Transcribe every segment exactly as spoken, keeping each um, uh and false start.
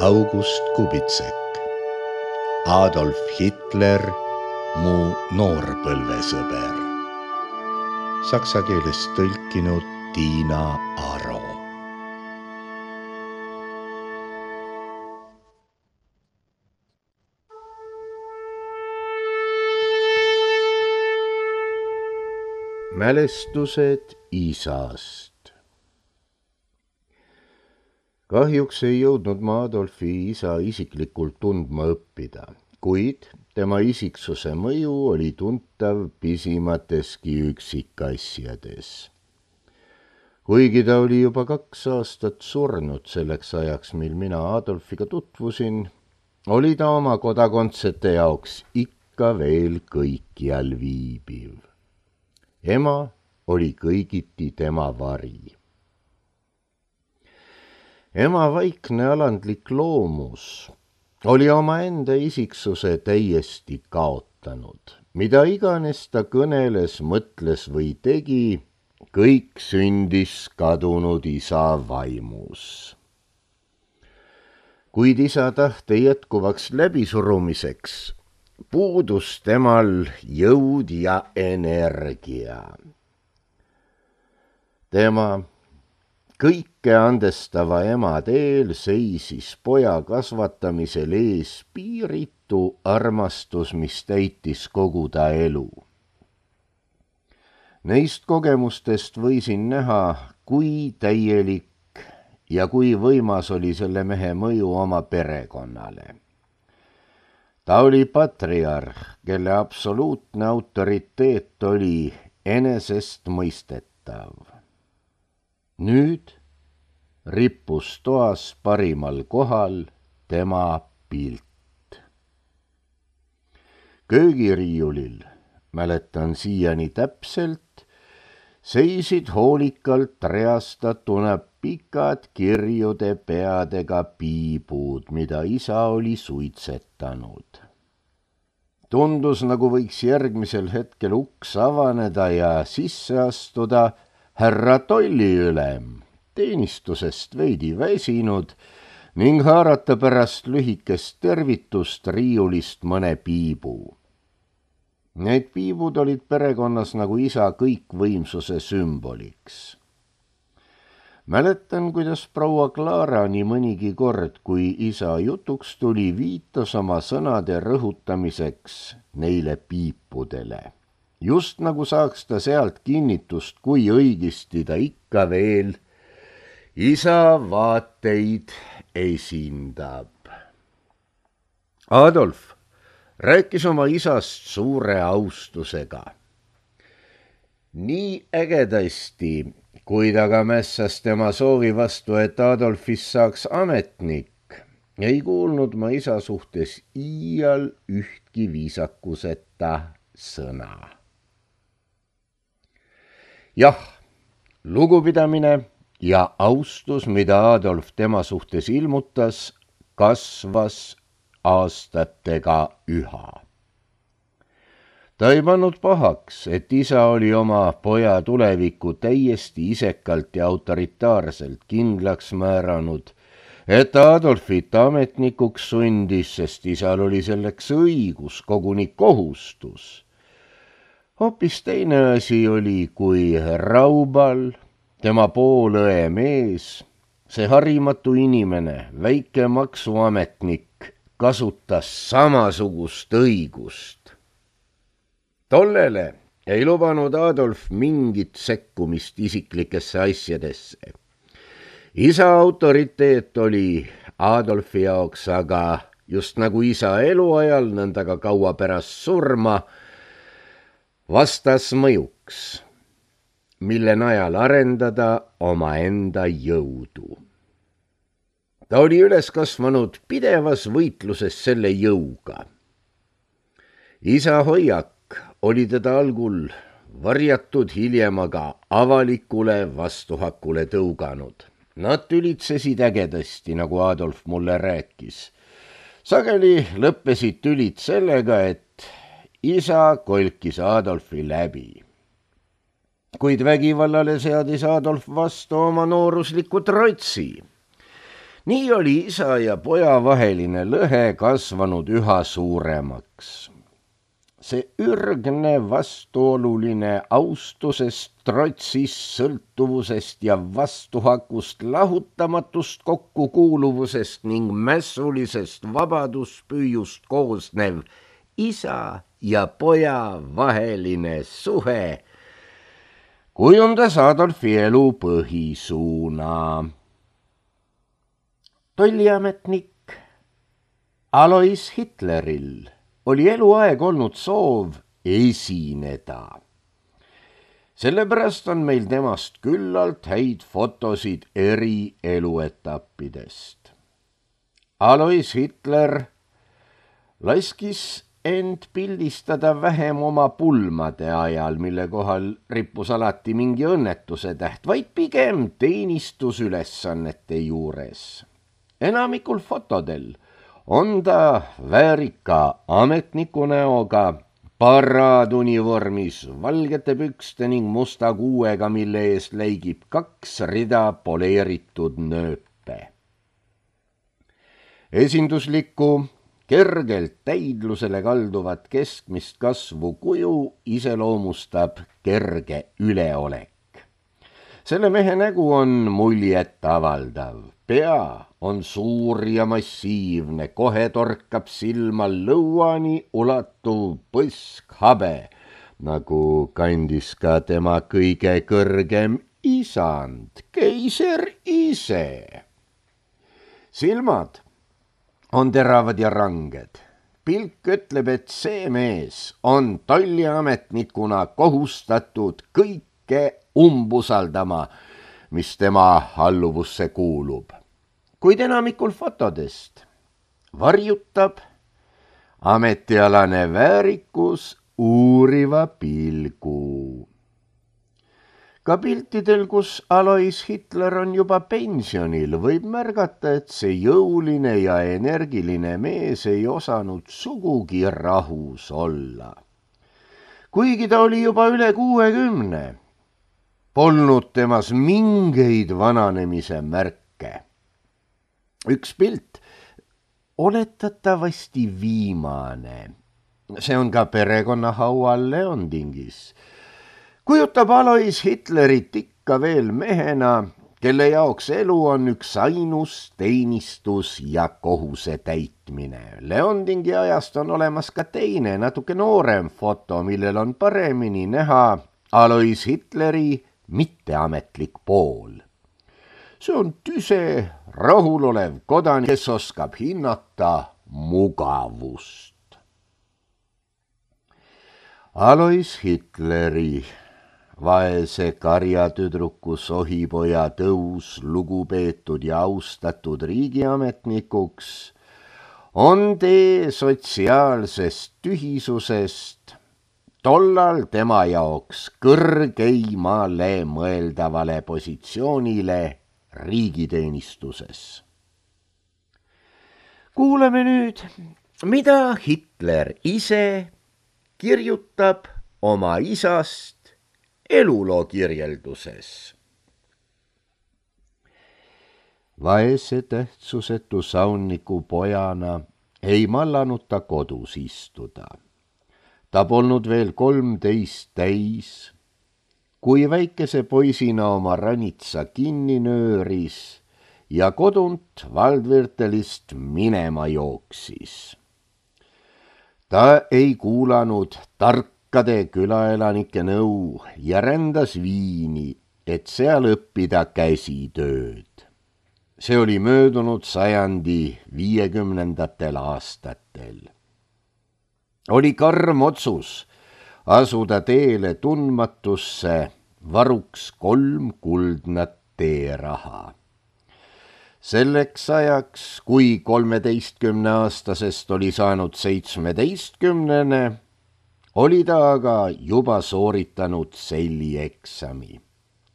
August Kubitsek, Adolf Hitler, mu noorpõlvesõber. Saksa keelest tõlkinud Tiina Aro. Mälestused isast. Kahjuks ei jõudnud ma Adolfi isa isiklikult tundma õppida, kuid tema isiksuse mõju oli tuntav pisimateski üksikasjades. Kuigi ta oli juba kaks aastat surnud selleks ajaks, mil mina Adolfiga tutvusin, oli ta oma kodakondsete jaoks ikka veel kõikjal viibiv. Ema oli kõigiti tema vari. Ema vaikne alandlik loomus oli omaenda isiksuse täiesti kaotanud. Mida iganes ta kõneles, mõtles või tegi, kõik sündis kadunud isa vaimus. Kuid isa tahte jätkuvaks läbisurumiseks puudus temal jõud ja energia. Tema kõike andestava ema teel seisis poja kasvatamisel ees piiritu armastus, mis täitis kogu ta elu. Neist kogemustest võisin näha, kui täielik ja kui võimas oli selle mehe mõju oma perekonnale. Ta oli patriarh, kelle absoluutne autoriteet oli enesest mõistetav. Nüüd rippus toas parimal kohal tema pilt. Köögiriiulil, mäletan siiani täpselt, seisid hoolikalt reastatuna pikad kirjude peadega piibud, mida isa oli suitsetanud. Tundus, nagu võiks järgmisel hetkel uks avaneda ja sisse astuda härra tolliülem, teenistusest veidi väsinud ning haarata pärast lühikest tervitust riiulist mõne piibu. Need piibud olid perekonnas nagu isa kõikvõimsuse sümboliks. Mäletan, kuidas proua Clara nii mõnigi kord, kui isa jutuks tuli, viitas oma sõnade rõhutamiseks neile piipudele. Just nagu saaks ta sealt kinnitust, kui õigesti ta ikka veel isa vaateid esindab. Adolf rääkis oma isast suure austusega. Nii ägedasti, kui ta ka mässas tema soovi vastu, et Adolfist saaks ametnik, ei kuulnud ma isa suhtes iial ühtki viisakuseta sõna. Jah, lugupidamine ja austus, mida Adolf tema suhtes ilmutas, kasvas aastatega üha. Ta ei pannud pahaks, et isa oli oma poja tuleviku täiesti isekalt ja autoritaarselt kindlaks määranud, et Adolfit ametnikuks sundis, sest isal oli selleks õigus, koguni kohustus. Hoopis teine asi oli, kui Raubal, tema poolõe mees, see harimatu inimene, väike maksuametnik, kasutas samasugust õigust. Tollele ei lubanud Adolf mingit sekkumist isiklikesse asjadesse. Isa autoriteet oli Adolfi jaoks aga just nagu isa eluajal, nõnda ka kaua pärast surma, vastas mõjuks, mille najal arendada omaenda jõudu. Ta oli üles kasvanud pidevas võitluses selle jõuga. Isa hoiak oli teda algul varjatud, hiljem aga avalikule vastuhakule tõuganud. Nad tülitsesid ägedasti, nagu Adolf mulle rääkis. Sageli lõppesid tülid sellega, et isa kolkis Adolfi läbi. Kuid vägivallale seadis Adolf vastu oma noorusliku trotsi. Nii oli isa ja poja vaheline lõhe kasvanud üha suuremaks. See ürgne vastuoluline austusest, trotsist, sõltuvusest ja vastuhakust, lahutamatust kokkukuuluvusest ning mässulisest vabaduspüüjust koosnev isa ja poja vaheline suhe kujundas Adolfi elu põhisuuna. Tolliametnik Alois Hitleril oli eluaeg olnud soov esineda. Sellepärast on meil temast küllalt häid fotosid eri eluetappidest. Alois Hitler laskis end pildistada vähem oma pulmade ajal, mille kohal rippus alati mingi õnnetuse täht, vaid pigem teenistusülesannete juures. Enamikul fotodel on ta väärika ametniku näoga, paraadunivormis, valgete pükste ning musta kuuega, mille eest läigib kaks rida poleeritud nööpe. Esinduslikku, kergelt täidlusele kalduvat keskmist kasvu kuju iseloomustab kerge üleolek. Selle mehe nägu on muljet avaldav. Pea on suur ja massiivne, kohe torkab silma lõuani ulatuv põskhabe, nagu kandis ka tema kõige kõrgem isand, keiser ise. Silmad on teravad ja ranged. Pilk ütleb, et see mees on tolliametnikuna kohustatud kõike umbusaldama, mis tema alluvusse kuulub. Kuid enamikul fotodest varjutab ametialane väärikus uuriva pilgu. Ka piltidel, kus Alois Hitler on juba pensionil, võib märgata, et see jõuline ja energiline mees ei osanud sugugi rahus olla. Kuigi ta oli juba üle kuuekümne, polnud temas mingeid vananemise märke. Üks pilt, oletatavasti viimane, see on ka perekonnahaual Leondingis, kujutab Alois Hitlerit ikka veel mehena, kelle jaoks elu on üks ainus teenistus ja kohuse täitmine. Leondingi ajast on olemas ka teine, natuke noorem foto, millel on paremini näha Alois Hitleri mitteametlik pool. See on tüse, rahulolev kodanik, kes oskab hinnata mugavust. Alois Hitleri, vaese karjatüdruku sohipoja tõus lugupeetud ja austatud riigiametnikuks on tee sotsiaalsest tühisusest tollal tema jaoks kõrgeimale mõeldavale positsioonile riigiteenistuses. Kuulame nüüd, mida Hitler ise kirjutab oma isast eluloo kirjelduses. Vaese tähtsusetu saunniku pojana ei mallanud ta kodus istuda. Ta polnud veel kolmteist täis, kui väikese poisina oma ranitsa kinni nööris ja kodunt Waldviertelist minema jooksis. Ta ei kuulanud tarkade külaelanike nõu ja rändas Viini, et seal õppida käsitööd. See oli möödunud sajandi viiekümnendatel aastatel. Oli karm otsus asuda teele tundmatusse varuks kolm kuldnat teeraha. Selleks ajaks, kui kolmeteistkümneaastasest oli saanud seitsmeteistkümnene, oli ta aga juba sooritanud sellieksami.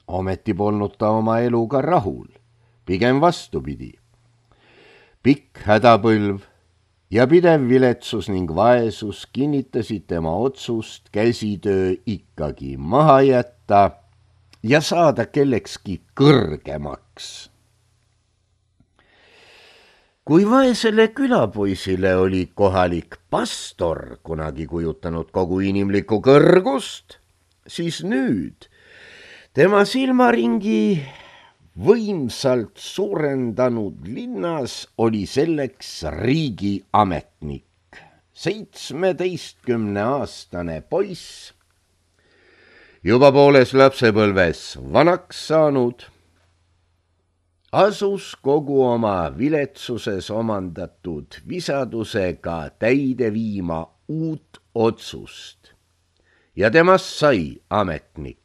Ometi polnud ta oma eluga rahul, pigem vastupidi. Pikk hädapõlv ja pidev viletsus ning vaesus kinnitasid tema otsust käsitöö ikkagi maha jätta ja saada kellekski kõrgemaks. kui vaesele külapoisile oli kohalik pastor kunagi kujutanud kogu inimlikku kõrgust, siis nüüd tema silmaringi võimsalt suurendanud linnas oli selleks riigiametnik, seitsmeteistkümneaastane poiss, juba pooles lapsepõlves vanaks saanud, asus kogu oma viletsuses omandatud visadusega täide viima uut otsust ja temast sai ametnik.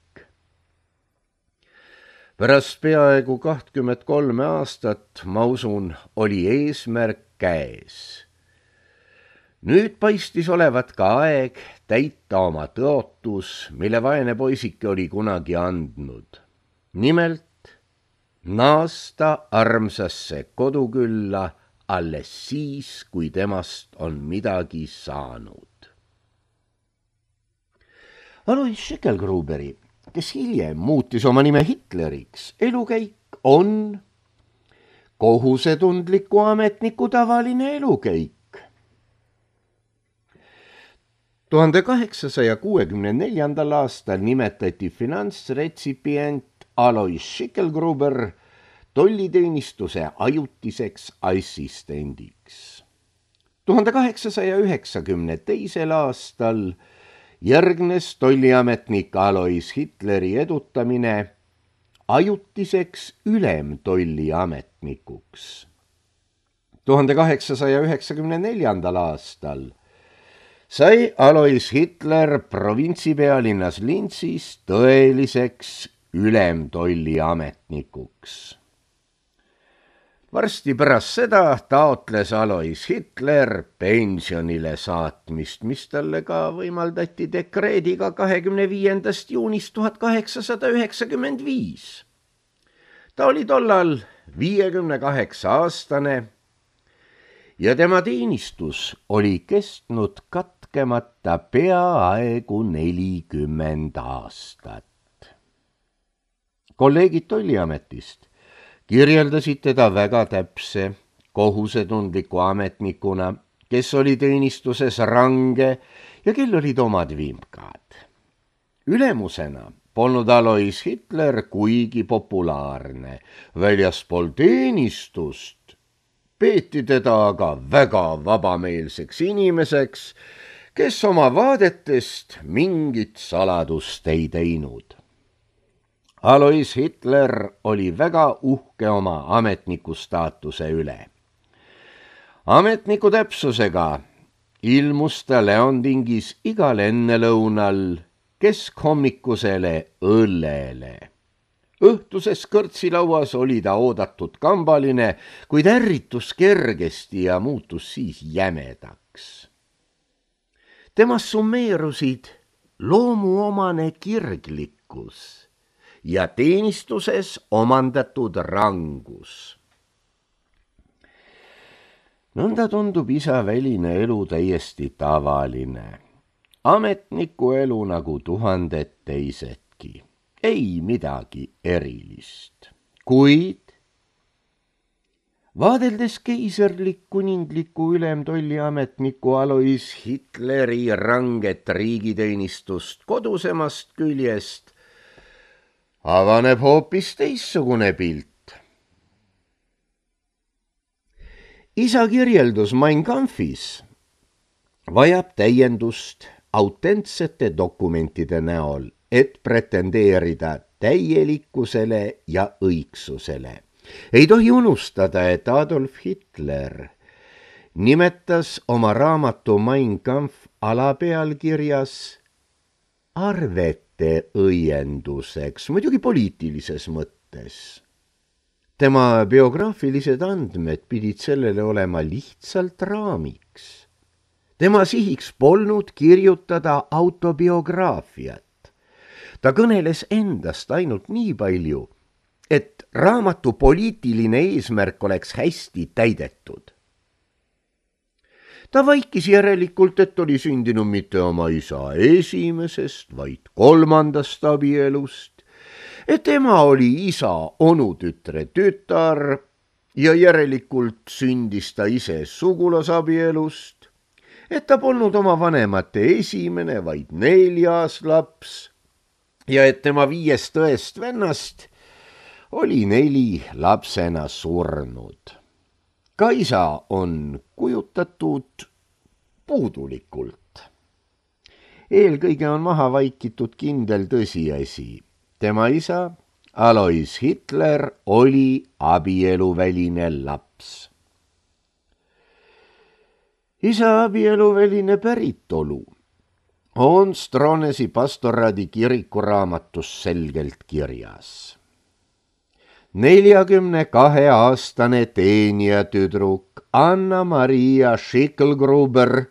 Pärast peaaegu kahtkümmend kolme aastat, ma usun, oli eesmärk käes. Nüüd paistis olevat ka aeg täita oma tõotus, mille vaene poisike oli kunagi andnud. Nimelt naasta armsasse kodukülla alles siis, kui temast on midagi saanud. Alois Schicklgruberi, kes hiljem muutis oma nime Hitleriks, elukäik on kohusetundliku ametniku tavaline elukäik. tuhande kaheksasaja kuuekümne neljandal aastal nimetati finantsretsipient Alois Schicklgruber tolliteenistuse ajutiseks assistendiks. tuhande kaheksasaja üheksakümne teisel aastal järgnes tolliametnik Alois Hitleri edutamine ajutiseks ülemtolliametnikuks. tuhande kaheksasaja üheksakümne neljandal aastal sai Alois Hitler provintsipealinnas Linzis tõeliseks ülemtolliametnikuks. Varsti pärast seda taotles Alois Hitler pensionile saatmist, mis talle ka võimaldati dekreediga kahekümne viiendast juunist tuhat kaheksasada üheksakümmend viis. Ta oli tollal viiekümne kaheksa aastane ja tema teenistus oli kestnud katkemata peaaegu nelikümmend aastat. Kolleegid tolliametist kirjeldasid teda väga täpse, kohusetundliku ametnikuna, kes oli teenistuses range ja kel olid omad vimkad. Ülemusena polnud Alois Hitler kuigi populaarne, väljaspool teenistust peeti teda aga väga vabameelseks inimeseks, kes oma vaadetest mingit saladust ei teinud. Alois Hitler oli väga uhke oma ametniku staatuse üle. Ametniku täpsusega ilmus ta Leondingis igal ennelõunal keskhommikusele õllele. Õhtuses kõrtsilauas oli ta oodatud kambaline, kuid ärritus kergesti ja muutus siis jämedaks. Temas summeerusid loomuomane kirglikkus ja teenistuses omandatud rangus. Nõnda tundub isa väline elu täiesti tavaline. Ametniku elu nagu tuhanded teisedki. Ei midagi erilist. Kuid vaadeldes keiserlik kuningliku ülemtolliametniku Alois Hitleri ranget riigiteenistust kodusemast küljest, avaneb hoopis teissugune pilt. Isa kirjeldus Mein Kampfis vajab täiendust autentsete dokumentide näol, et pretendeerida täielikkusele ja õigsusele. Ei tohi unustada, et Adolf Hitler nimetas oma raamatu Mein Kampf alapealkirjas arvete õienduseks, muidugi poliitilises mõttes. Tema biograafilised andmed pidid sellele olema lihtsalt raamiks. Tema sihiks polnud kirjutada autobiograafiat. Ta kõneles endast ainult nii palju, et raamatu poliitiline eesmärk oleks hästi täidetud. Ta vaikis järelikult, et oli sündinud mitte oma isa esimesest, vaid kolmandast abielust, et tema oli isa onutütre tütar ja järelikult sündis ta ise sugulasabielust, et ta polnud oma vanemate esimene, vaid neljas laps ja et tema viiest tõest vennast oli neli lapsena surnud. Ka isa on kujutatud puudulikult. Eelkõige on maha vaikitud kindel tõsiasi. Tema isa, Alois Hitler, oli abieluväline laps. Isa abieluväline päritolu on Stronesi pastoraadi kirikuraamatus selgelt kirjas. neljakümne kahe aastane teenijatüdruk Anna-Maria Schicklgruber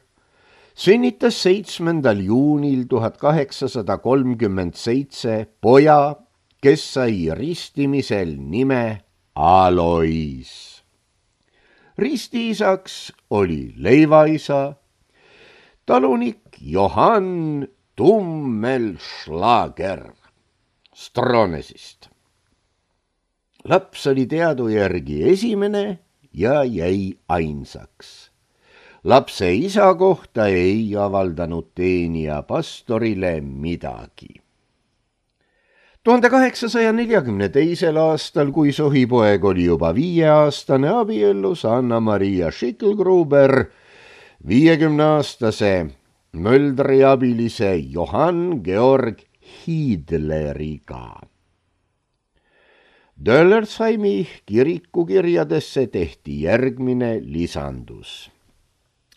sünnitas seitsmendal juunil tuhat kaheksasada kolmkümmend seitse poja, kes sai ristimisel nime Alois. Ristiisaks oli leivaisa, talunik Johann Tummelschlager Stronesist. Laps oli teadu järgi esimene ja jäi ainsaks. Lapse isa kohta ei avaldanud teenija pastorile midagi. tuhande kaheksasaja neljakümne teisel aastal, kui sohipoeg oli juba viieaastane, abiellus Anna-Maria Schicklgruber viiekümneaastase Möldri abilise Johann Georg Hiidleriga. Döllersheimi kirikukirjadesse tehti järgmine lisandus.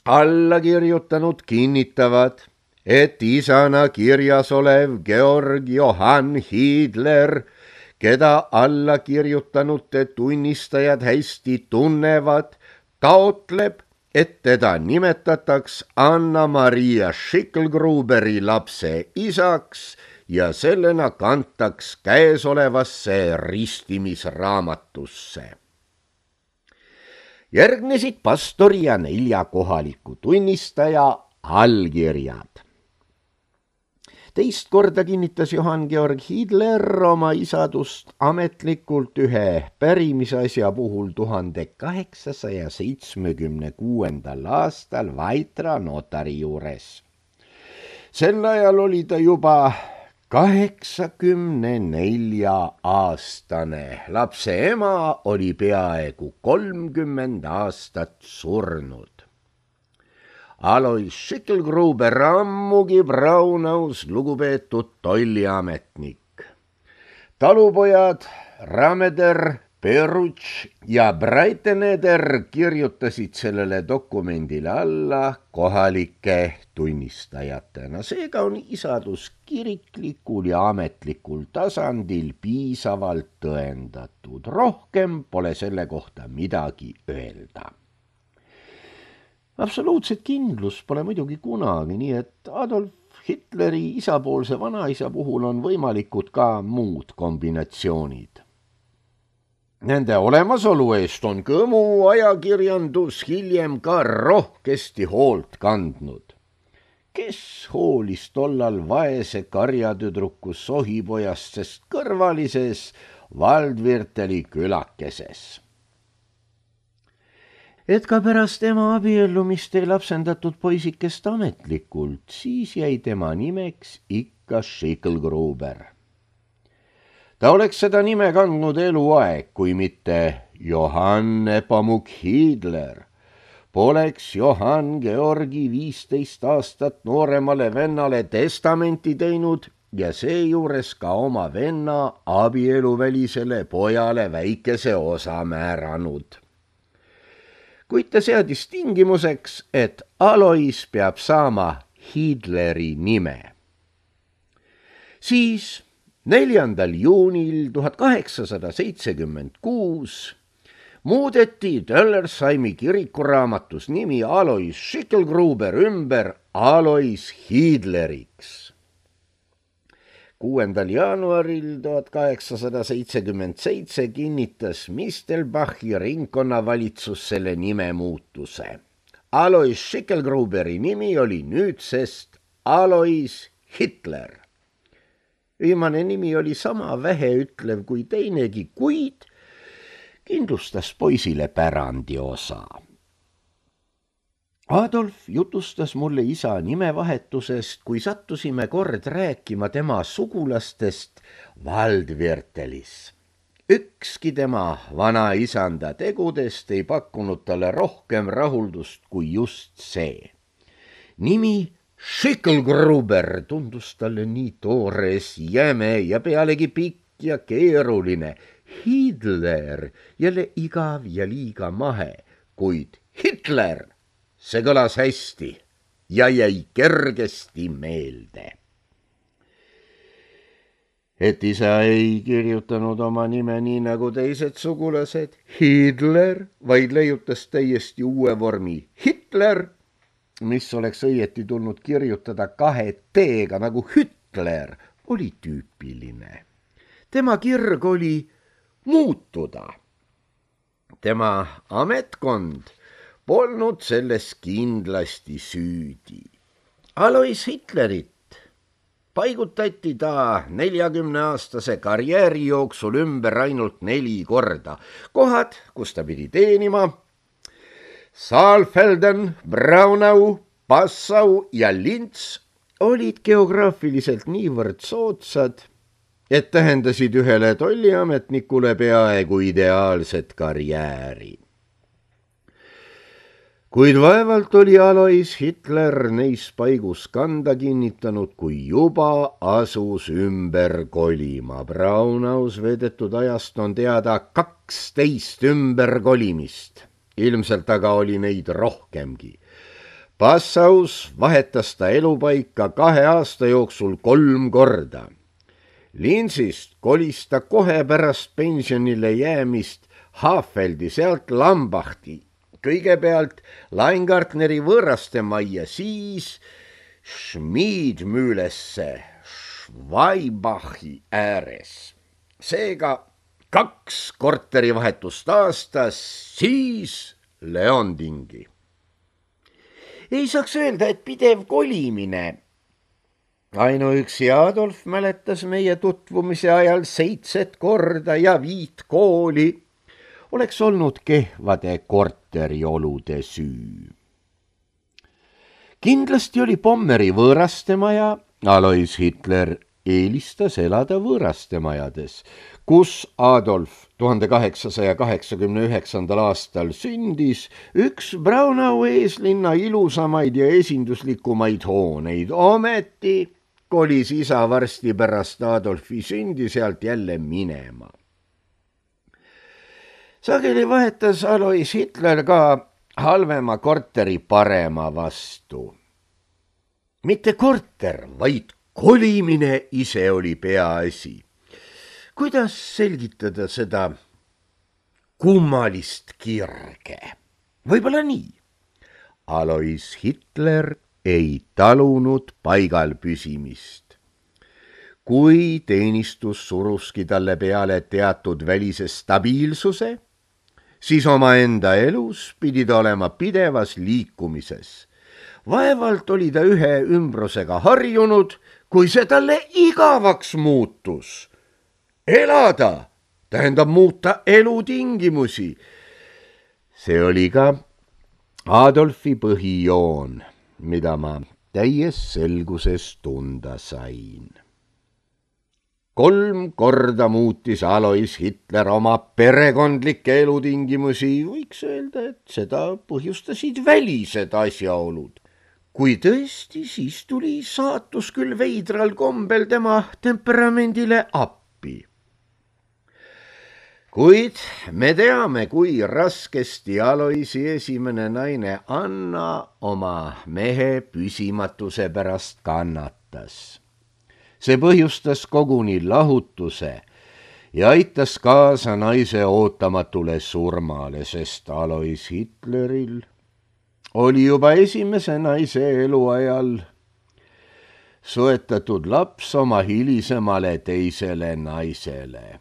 Allakirjutanud kinnitavad, et isana kirjas olev Georg Johann Hiidler, keda allakirjutanute tunnistajad hästi tunnevad, taotleb, et teda nimetataks Anna-Maria Schicklgruberi lapse isaks ja sellena kantaks käesolevasse ristimisraamatusse. Järgnesid pastori ja nelja kohaliku tunnistaja allkirjad. Teist korda kinnitas Johann Georg Hiidler oma isadust ametlikult ühe pärimisasja puhul tuhande kaheksasaja seitsmekümne kuuendal aastal Vaitra notari juures. Sel ajal oli ta juba kaheksakümne nelja aastane. Lapse ema oli peaaegu kolmkümmend aastat surnud. Alois Schicklgruber ammugi Braunaus lugupeetud tolliametnik. Talupojad Rameder, Perutš ja Breiteneder kirjutasid sellele dokumendile alla kohalike tunnistajatena. Seega on isadus kiriklikul ja ametlikul tasandil piisavalt tõendatud. Rohkem pole selle kohta midagi öelda. Absoluutset kindlus pole muidugi kunagi, nii et Adolf Hitleri isapoolse vanaisa puhul on võimalikud ka muud kombinatsioonid. Nende olemasolu eest on kõmu ajakirjandus hiljem ka rohkesti hoolt kandnud. Kes hoolis tollal vaese karjatüdruku sohipojast, sest kõrvalises Waldvierteli külakeses? Et ka pärast tema abiellumist ei lapsendatud poisikest ametlikult, siis jäi tema nimeks ikka Schicklgruber. Ta oleks seda nime kandnud eluaeg, kui mitte Johann Nepomuk Hiidler. Poleks Johann Georgi viisteist aastat nooremale vennale testamenti teinud ja seejuures ka oma venna abieluvälisele pojale väikese osa määranud. Kuid ta seadis tingimuseks, et Alois peab saama Hiidleri nime. Siis neljandal juunil tuhat kaheksasada seitsekümmend kuus muudeti Döllersheimi kirikuraamatus nimi Alois Schicklgruber ümber Alois Hiidleriks. kuuendal jaanuaril tuhat kaheksasada seitsekümmend seitse kinnitas Mistelbachi ringkonnavalitsus selle nime muutuse. Alois Schicklgruberi nimi oli nüüdsest Alois Hitler. Viimane nimi oli sama väheütlev kui teinegi, kuid kindlustas poisile pärandiosa. Adolf jutustas mulle isa nimevahetusest, kui sattusime kord rääkima tema sugulastest Waldviertelis. Ükski tema vanaisanda tegudest ei pakkunud talle rohkem rahuldust kui just see. Nimi Schicklgruber tundus talle nii toores, jäme ja pealegi pikk ja keeruline. Hitler jälle igav ja liiga mahe, kuid Hitler, see kõlas hästi ja jäi kergesti meelde. Et isa ei kirjutanud oma nime nii nagu teised sugulased, Hitler, vaid leiutas täiesti uue vormi Hitler, mis oleks õieti tulnud kirjutada kahe T-ga nagu Hitler, oli tüüpiline. Tema kirg oli muutuda. Tema ametkond polnud selles kindlasti süüdi. Alois Hitlerit paigutati ta neljakümneaastase karjääri jooksul ümber ainult neli korda. Kohad, kus ta pidi teenima: Saalfelden, Braunau, Passau ja Linz olid geograafiliselt niivõrd soodsad, et tähendasid ühele tolliametnikule peaaegu ideaalset karjääri. Kuid vaevalt oli Alois Hitler neis paigus kanda kinnitanud, kui juba asus ümber kolima. Braunaus veedetud ajast on teada kaksteist ümberkolimist. Ilmselt aga oli neid rohkemgi. Passaus vahetas ta elupaika kahe aasta jooksul kolm korda. Linzist kolis ta kohe pärast pensionile jäämist Hafeldi, sealt Lambachti, kõigepealt Leingartneri võõraste majja, siis Schmiedmüülesse Schwaibachi ääres. Seega kaks korterivahetust aastas, siis Leondingi. Ei saaks öelda, et pidev kolimine. Ainuüksi Adolf mäletas meie tutvumise ajal seitset korda ja viit kooli oleks olnud kehvade korteriolude süü. Kindlasti oli Pommeri võõrastemaja. Alois Hitler eelistas elada võõrastemajades, kus Adolf tuhande kaheksasaja kaheksakümne üheksandal aastal sündis, üks Braunau eeslinna ilusamaid ja esinduslikumaid hooneid. Ometi kolis isa varsti pärast Adolfi sündi sealt jälle minema. Sageli vahetas Alois Hitler ka halvema korteri parema vastu. Mitte korter, vaid kolimine ise oli peaasi. Kuidas selgitada seda kummalist kirge? Võib-olla nii. Alois Hitler ei talunud paigal püsimist. Kui teenistus suruski talle peale teatud välise stabiilsuse, siis oma enda elus pidi ta olema pidevas liikumises. Vaevalt oli ta ühe ümbrusega harjunud, kui see talle igavaks muutus. Elada tähendab muuta elutingimusi. See oli ka Adolfi põhijoon, mida ma täies selguses tunda sain. Kolm korda muutis Alois Hitler oma perekondlikke elutingimusi, võiks öelda, et seda põhjustasid välised asjaolud. Kui tõesti, siis tuli saatus küll veidral kombel tema temperamendile appi. Kuid me teame, kui raskesti Aloisi esimene naine Anna oma mehe püsimatuse pärast kannatas. See põhjustas koguni lahutuse ja aitas kaasa naise ootamatule surmale, sest Alois Hitleril oli juba esimese naise eluajal soetatud laps oma hilisemale teisele naisele.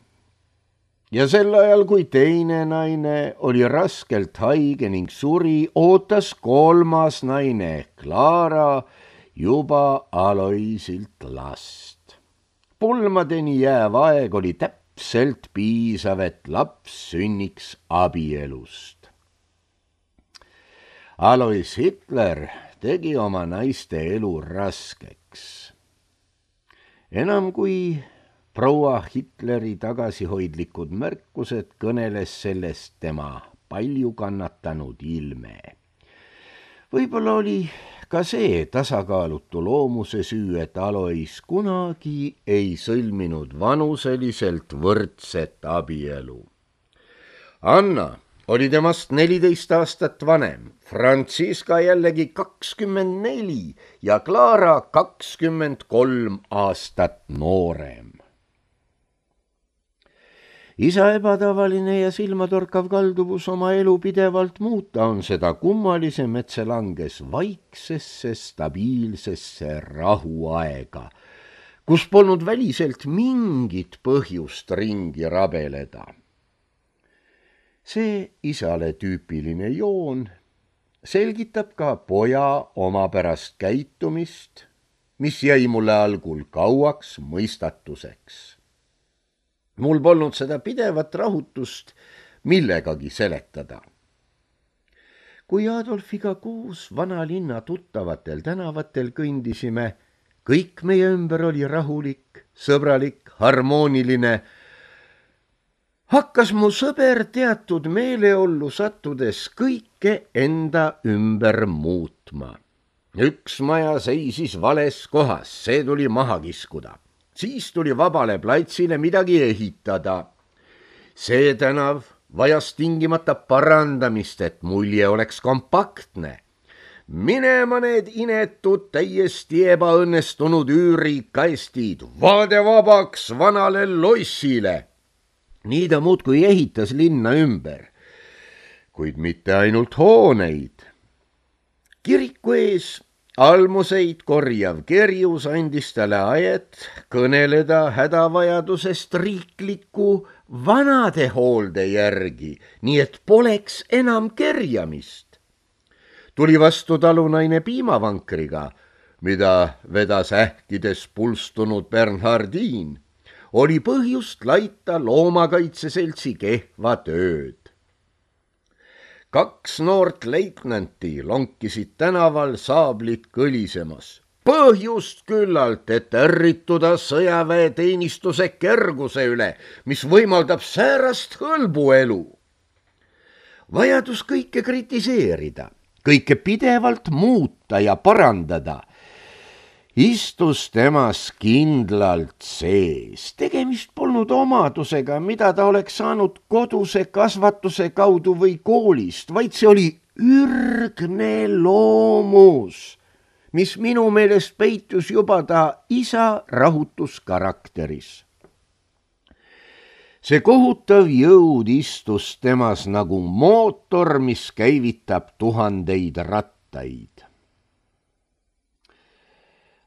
Ja sel ajal, kui teine naine oli raskelt haige ning suri, ootas kolmas naine, Clara, juba Aloisilt last. Pulmadeni jääv aeg oli täpselt täpselt piisav, et laps sünniks abielust. Alois Hitler tegi oma naiste elu raskeks. Enam kui proua Hitleri tagasihoidlikud märkused kõneles sellest tema palju kannatanud ilme. Võib-olla oli ka see tasakaalutu loomuse süü, et Alois kunagi ei sõlminud vanuseliselt võrdset abielu. Anna oli temast neliteist aastat vanem, Franziska jällegi kakskümmend neli ja Clara kakskümmend kolm aastat noorem. Isa ebatavaline ja silmatorkav kalduvus oma elu pidevalt muuta on seda kummalisem, et see langes vaiksesse, stabiilsesse rahuaega, kus polnud väliselt mingit põhjust ringi rabeleda. See isale tüüpiline joon selgitab ka poja omapärast käitumist, mis jäi mulle algul kauaks mõistatuseks. Mul polnud seda pidevat rahutust millegagi seletada. Kui Adolfiga koos vanalinna tuttavatel tänavatel kõndisime, kõik meie ümber oli rahulik, sõbralik, harmooniline, hakkas mu sõber teatud meeleollu sattudes kõike enda ümber muutma. Üks maja seisis vales kohas, see tuli maha kiskuda. Siis tuli vabale platsile midagi ehitada. See tänav vajas tingimata parandamist, et mulje oleks kompaktne. Minema need inetud, täiesti ebaõnnestunud üürikaestid, vaade vabaks vanale lossile. Nii ta muudkui ehitas linna ümber, kuid mitte ainult hooneid. Kiriku ees almuseid korjav kerjus andis talle ajet kõneleda hädavajadusest riikliku vanadehoolde järgi, nii et poleks enam kerjamist. Tuli vastu talunaine piimavankriga, mida vedas ähkides pulstunud Bernhardin. Oli põhjust laita loomakaitseseltsi kehva tööd. Kaks noort leitnanti lonkisid tänaval saablit kõlisemas. Põhjust küllalt, et ärrituda sõjaväeteenistuse kerguse üle, mis võimaldab säärast hõlbuelu. Vajadus kõike kritiseerida, kõike pidevalt muuta ja parandada istus temas kindlalt sees. Tegemist polnud omadusega, mida ta oleks saanud koduse kasvatuse kaudu või koolist, vaid see oli ürgne loomus, mis minu meelest peitus juba ta isa rahutuskarakteris. See kohutav jõud istus temas nagu mootor, mis käivitab tuhandeid rattaid.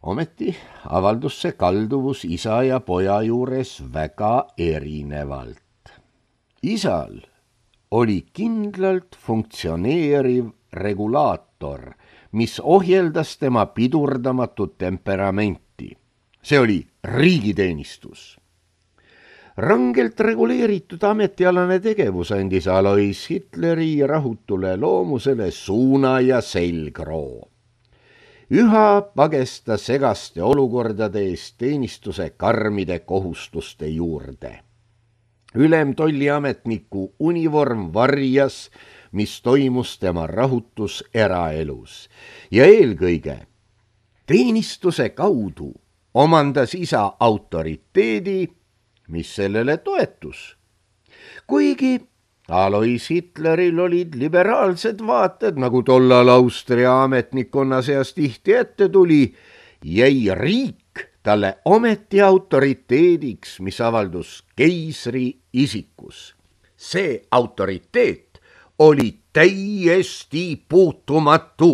Ometi avaldus see kalduvus isa ja poja juures väga erinevalt. Isal oli kindlalt funktsioneeriv regulaator, mis ohjeldas tema pidurdamatut temperamenti. See oli riigiteenistus. Rangelt reguleeritud ametialane tegevus andis Alois Hitleri rahutule loomusele suuna ja selgroo. Üha pagesta segaste olukordade eest teenistuse karmide kohustuste juurde. Ülemtolliametniku univorm varjas, mis toimus tema rahutus eraelus. Ja eelkõige teenistuse kaudu omandas isa autoriteedi, mis sellele toetus. Kuigi Alois Hitleril olid liberaalsed vaated, nagu tollal Austria ametnikkonna seas tihti ette tuli, jäi riik talle ometi autoriteediks, mis avaldus keisri isikus. See autoriteet oli täiesti puutumatu,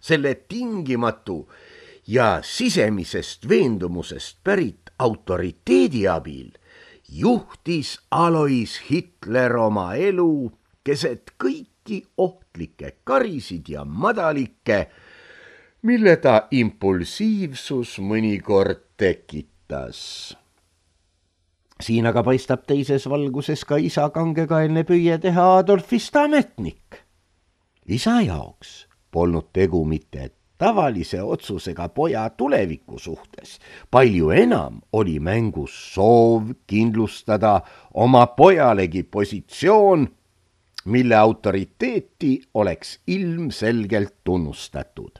selle tingimatu ja sisemisest veendumusest pärit autoriteedi abil juhtis Alois Hitler oma elu keset kõiki ohtlikke karisid ja madalikke, mille ta impulsiivsus mõnikord tekitas. siin aga paistab teises valguses ka isa kangekaelne püüe teha Adolfist ametnik. isa jaoks polnud tegu mitte tavalise otsusega poja tuleviku suhtes. Palju enam oli mängus soov kindlustada oma pojalegi positsioon, mille autoriteeti oleks ilmselgelt tunnustatud.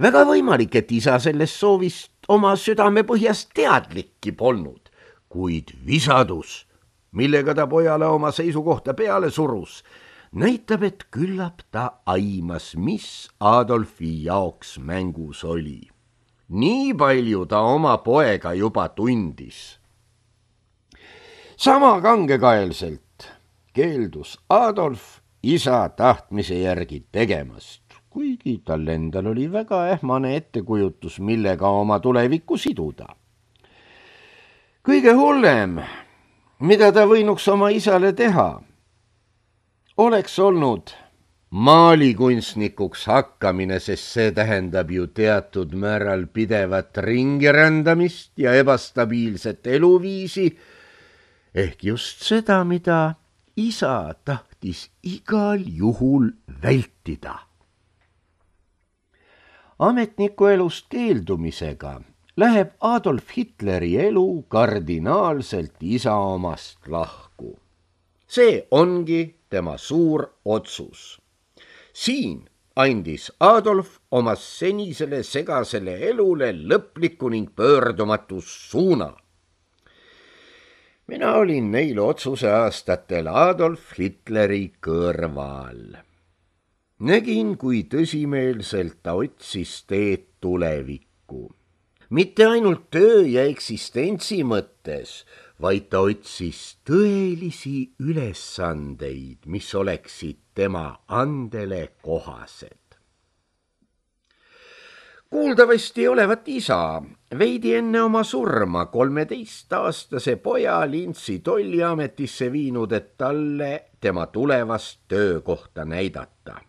Väga võimalik, et isa sellest soovist oma südamepõhjast teadlikki polnud, kuid visadus, millega ta pojale oma seisukohta peale surus, näitab, et küllap ta aimas, mis Adolfi jaoks mängus oli. Nii palju ta oma poega juba tundis. Sama kangekaelselt keeldus Adolf isa tahtmise järgi tegemast, kuigi tal endal oli väga ähmane ettekujutus, millega oma tulevikku siduda. Kõige hullem, mida ta võinuks oma isale teha, oleks olnud maalikunstnikuks hakkamine, sest see tähendab ju teatud määral pidevat ringirändamist ja ebastabiilset eluviisi, ehk just seda, mida isa tahtis igal juhul vältida. Ametniku elust keeldumisega läheb Adolf Hitleri elu kardinaalselt isa omast lahku. See ongi tema suur otsus. Siin andis Adolf oma senisele segasele elule lõpliku ning pöördumatus suuna. Mina olin neil otsuse aastatel Adolf Hitleri kõrval. Nägin, kui tõsimeelselt ta otsis teed tulevikku. Mitte ainult töö ja eksistentsi mõttes, vaid ta otsis tõelisi ülesandeid, mis oleksid tema andele kohased. Kuuldavasti olevat isa veidi enne oma surma kolmeteistaastase poja Lintsi tolliametisse viinud, et talle tema tulevast töökohta näidata.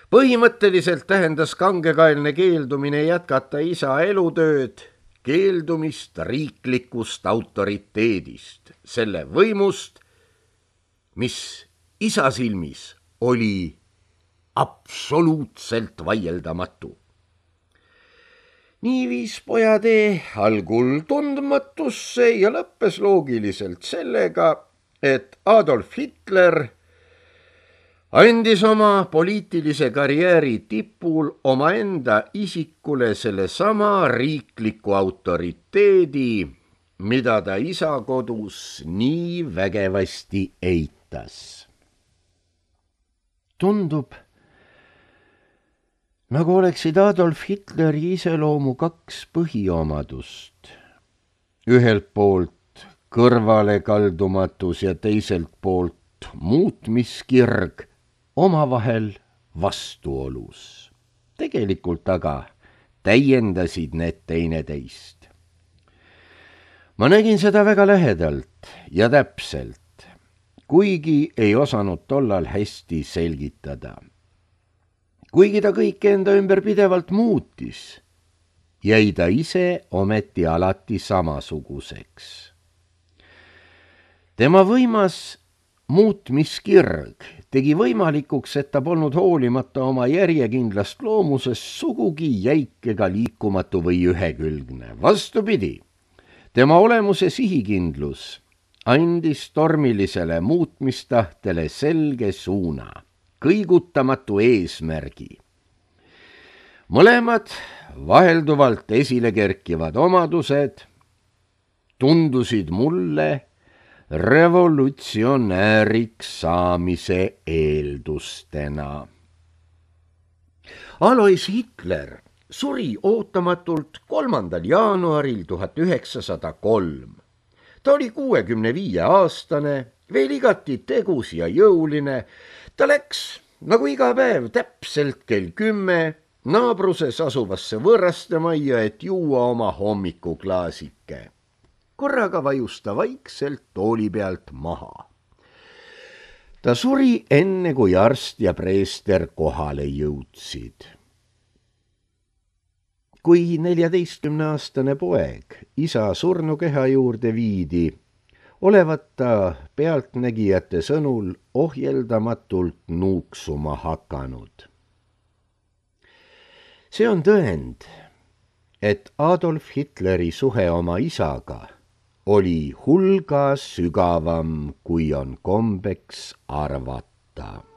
Põhimõtteliselt tähendas kangekaelne keeldumine jätkata isa elutööd, keeldumist riiklikust autoriteedist, selle võimust, mis isa silmis oli absoluutselt vaieldamatu. Nii viis poja tee algul tundmatusse ja lõppes loogiliselt sellega, et Adolf Hitler andis oma poliitilise karjääri tipul omaenda isikule selle sama riikliku autoriteedi, mida ta isa kodus nii vägevasti eitas. Tundub, nagu oleksid Adolf Hitleri iseloomu kaks põhiomadust. Ühelt poolt kõrvalekaldumatus ja teiselt poolt muutmiskirg, omavahel vastuolus. Tegelikult aga täiendasid need teineteist. Ma nägin seda väga lähedalt ja täpselt, kuigi ei osanud tollal hästi selgitada. Kuigi ta kõike enda ümber pidevalt muutis, jäi ta ise ometi alati samasuguseks. Tema võimas muutmiskirg tegi võimalikuks, et ta polnud hoolimata oma järjekindlast loomusest sugugi jäik ega liikumatu või ühekülgne. Vastupidi, tema olemuse sihikindlus andis tormilisele muutmistahtele selge suuna, kõigutamatu eesmärgi. Mõlemad vahelduvalt esile kerkivad omadused tundusid mulle revolutsionääriks saamise eeldustena. Alois Hitler suri ootamatult kolmandal jaanuaril tuhat üheksasada kolm. Ta oli kuuekümne viie aastane, veel igati tegus ja jõuline. Ta läks nagu iga päev täpselt kell kümme naabruses asuvasse võõrastemajja, et juua oma hommikuklaasike. Korraga vajus ta vaikselt tooli pealt maha. Ta suri enne, kui arst ja preester kohale jõudsid. kui neljateistkümneaastane poeg isa surnukeha juurde viidi, olevat ta pealtnägijate sõnul ohjeldamatult nuuksuma hakanud. See on tõend, et Adolf Hitleri suhe oma isaga oli hulga sügavam, kui on kombeks arvata.